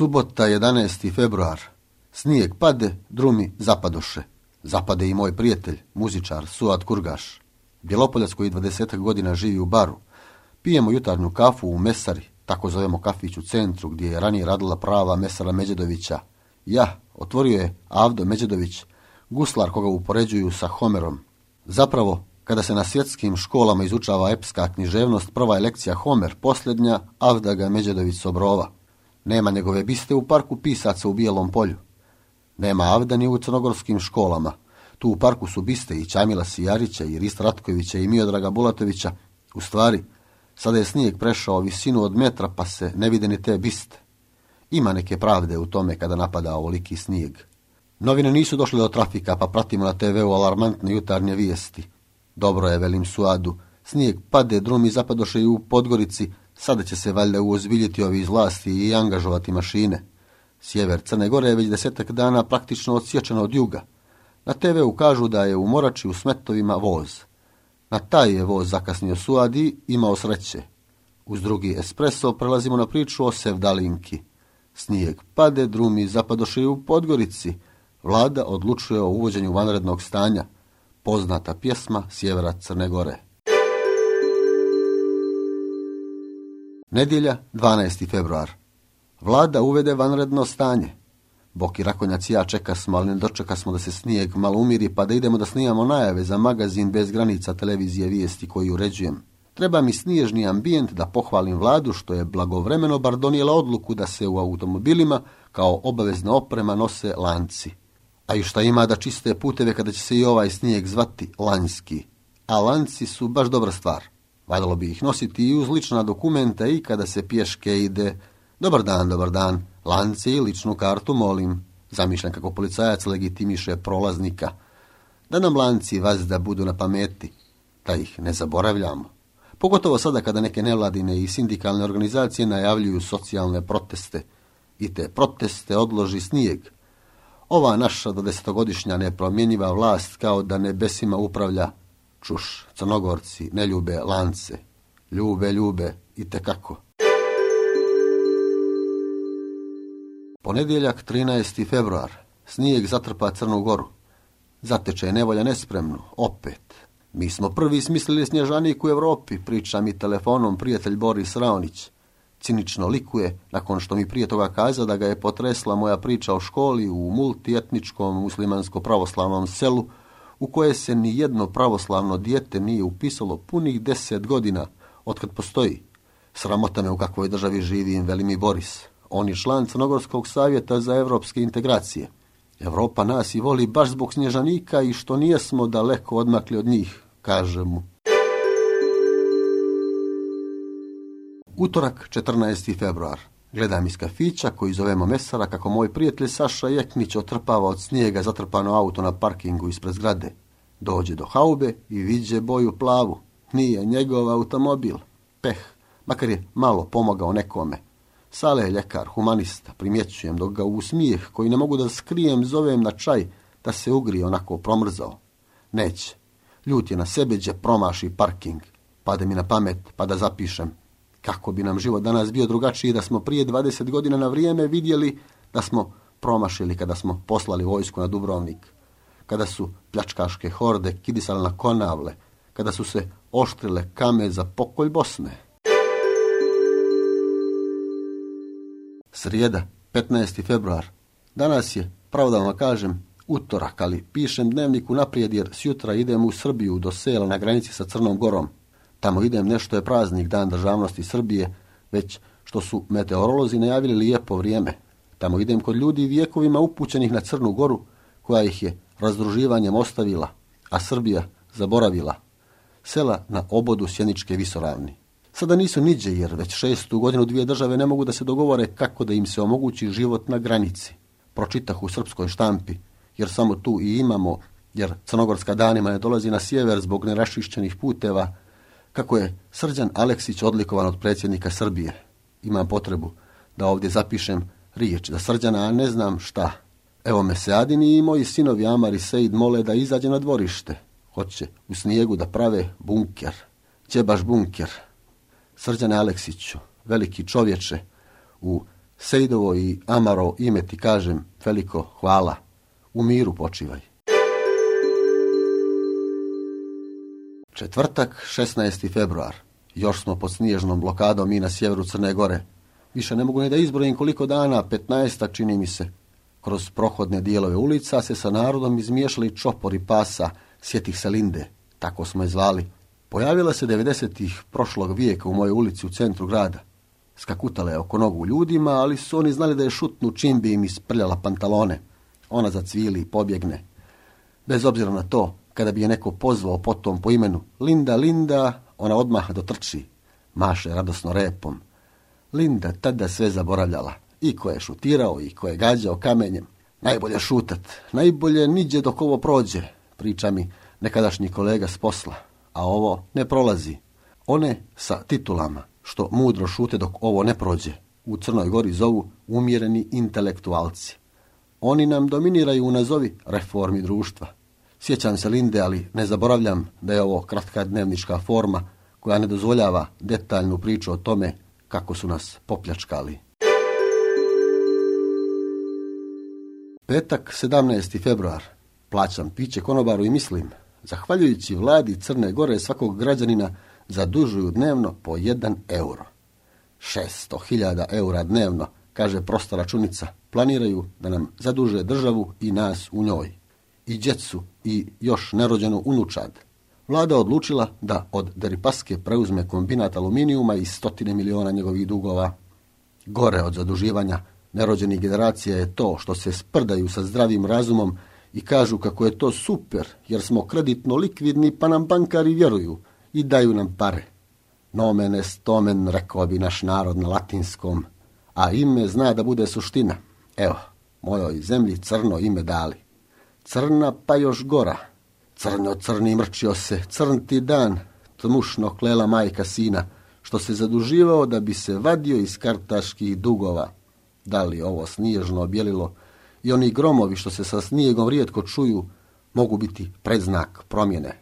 Subota, 11. februar. Snijeg pade, drumi zapadoše. Zapade i moj prijatelj, muzičar Suad Kurgaš. Bjelopoljac koji 20 godina živi u Baru. Pijemo jutarnju kafu u Mesari, tako zovemo kafić u centru, gdje je ranije radila prava Mesara Međedovića. Ja, otvorio je Avdo Međedović, guslar koga upoređuju sa Homerom. Zapravo, kada se na svjetskim školama izučava epska književnost, prva je lekcija Homer, posljednja Avdaga Međedović Sobrova. Nema njegove biste u parku pisaca u Bijelom polju. Nema Avda ni u crnogorskim školama. Tu u parku su biste i Čamila Sijarića, i Rista Ratkovića, i Miodraga Bulatovića. U stvari, sada je snijeg prešao visinu od metra, pa se ne vide ni te biste. Ima neke pravde u tome kada napada ovoliki snijeg. Novine nisu došle do trafika, pa pratimo na TV-u alarmantne jutarnje vijesti. Dobro je, velim Suadu, snijeg pade, drumi zapadoše i u Podgorici, sada će se valjda uozbiljiti ovi iz vlasti i angažovati mašine. Sjever Crne Gore je već 10 dana praktično odsječeno od juga. Na TV-u kažu da je u Morači u Smetovima voz. Na taj je voz zakasnio Suad i imao sreće. Uz drugi espresso prelazimo na priču o Sevdalinki. Snijeg pade, drumi zapadoše i u Podgorici. Vlada odlučuje o uvođenju vanrednog stanja. Poznata pjesma Sjevera Crne Gore. Nedjelja, 12. februar. Vlada uvede vanredno stanje. Boki Rakonjac i ja čekasmo, ali ne dočekasmo da se snijeg malo umiri, pa da idemo da snimamo najave za magazin Bez granica televizije vijesti koji uređujem. Treba mi snježni ambijent da pohvalim vladu što je blagovremeno bar donijela odluku da se u automobilima kao obavezna oprema nose lanci. A i šta ima da čiste puteve kada će se i ovaj snijeg zvati lanjski. A lanci su baš dobra stvar. Valjalo bi ih nositi i uz lična dokumenta i kada se pješke ide. Dobar dan, lanci i ličnu kartu molim. Zamišljam kako policajac legitimiše prolaznika. Da nam lanci vazda budu na pameti, da ih ne zaboravljamo. Pogotovo sada kada neke nevladine i sindikalne organizacije najavljuju socijalne proteste. I te proteste odloži snijeg. Ova naša do 10-godišnja nepromjenjiva vlast kao da nebesima upravlja. Čuš, Crnogorci ne ljube lance. Ljube i tekako. Ponedjeljak, 13. februar. Snijeg zatrpa Crnu Goru. Zateče nevolja nespremnu, opet. Mi smo prvi smislili snježanik u Europi, priča mi telefonom prijatelj Boris Raonić. Cinično likuje, nakon što mi prije toga kaza da ga je potresla moja priča o školi u multietničkom muslimansko-pravoslavnom selu, u koje se ni jedno pravoslavno dijete nije upisalo punih 10 godina otkad postoji. Sramota me u kakvoj državi živim, veli mi Boris. On je član Crnogorskog savjeta za evropske integracije. Evropa nas i voli baš zbog snježanika i što nijesmo daleko odmakli od njih, kaže mu. Utorak, 14. februar. Gledam iz kafića koji zovemo Mesara kako moj prijatelj Saša Jeknić otrpava od snijega zatrpano auto na parkingu ispred zgrade. Dođe do haube i viđe boju plavu. Nije njegov automobil. Peh, makar je malo pomogao nekome. Sale je ljekar, humanista, primjećujem dok ga u smijeh koji ne mogu da skrijem zovem na čaj da se ugrije onako promrzao. Neće. Ljut je na sebe gdje promaši parking. Pade mi na pamet pa da zapišem. Kako bi nam život danas bio drugačiji da smo prije 20 godina na vrijeme vidjeli da smo promašili kada smo poslali vojsku na Dubrovnik. Kada su pljačkaške horde kidisale na Konavle. Kada su se oštrile kame za pokolj Bosne. Srijeda, 15. februar. Danas je, pravo da vam kažem, utorak, ali pišem dnevnik unaprijed jer sjutra idem u Srbiju do sela na granici sa Crnom Gorom. Tamo idem nešto je praznik, dan državnosti Srbije, već što su meteorolozi najavili lijepo vrijeme. Tamo idem kod ljudi vijekovima upućenih na Crnu Goru, koja ih je razdruživanjem ostavila, a Srbija zaboravila. Sela na obodu Sjeničke visoravni. Sada nisu niđe jer već 6. godinu dvije države ne mogu da se dogovore kako da im se omogući život na granici. Pročitah u srpskoj štampi, jer samo tu i imamo, jer Crnogorska danima ne dolazi na sjever zbog neraščišćenih puteva, kako je Srđan Aleksić odlikovan od predsjednika Srbije. Imam potrebu da ovdje zapišem riječ za Srđana, a ne znam šta. Evo me Seadini i moji sinovi Amar i Seid mole da izađe na dvorište. Hoće u snijegu da prave bunker. Gdje baš bunker? Srđane Aleksiću, veliki čovječe, u Sejdovo i Amaro ime ti kažem, veliko hvala. U miru počivaj. Četvrtak, 16. februar. Još smo pod snježnom blokadom i na sjeveru Crne Gore. Više ne mogu ni da izbrojim koliko dana, 15 čini mi se. Kroz prohodne dijelove ulica se sa narodom izmiješali čopori pasa, sjetih se Linde, tako smo je zvali. Pojavila se 90-ih prošlog vijeka u mojoj ulici u centru grada. Skakutala je oko nogu ljudima, ali su oni znali da je šutnu čim bi im isprljala pantalone. Ona zacvili i pobjegne. Bez obzira na to, kada bi je neko pozvao potom po imenu Linda, Linda, ona odmah dotrči, maše radosno repom. Linda tada sve zaboravljala, i ko je šutirao i ko je gađao kamenjem. Najbolje šutat, najbolje niđe dok ovo prođe, priča mi nekadašnji kolega s posla, a ovo ne prolazi. One sa titulama, što mudro šute dok ovo ne prođe, u Crnoj Gori zovu umjereni intelektualci. Oni nam dominiraju u nazovi reformi društva. Sjećam se Linde, ali ne zaboravljam da je ovo kratka dnevnička forma koja ne dozvoljava detaljnu priču o tome kako su nas popljačkali. Petak, 17. februar. Plaćam piće konobaru i mislim, zahvaljujući vladi Crne Gore svakog građanina zadužuju dnevno po 1 euro. 600.000 eura dnevno, kaže prosta računica, planiraju da nam zaduže državu i nas u njoj. I djecu i još nerođenu unučad. Vlada odlučila da od Deripaske preuzme kombinat aluminijuma i 100 miliona njegovih dugova. Gore od zaduživanja nerođenih generacija je to što se sprdaju sa zdravim razumom i kažu kako je to super jer smo kreditno likvidni pa nam bankari vjeruju i daju nam pare. Nomen est omen, rekao bi naš narod na latinskom, a ime zna da bude suština. Evo, mojoj zemlji crno ime dali. Crna pa još gora. Crnjo crni mrčio se, crn ti dan, tmušno klela majka sina, što se zaduživao da bi se vadio iz kartaških dugova. Da li ovo snježno objelilo i oni gromovi što se sa snijegom rijetko čuju, mogu biti predznak promjene.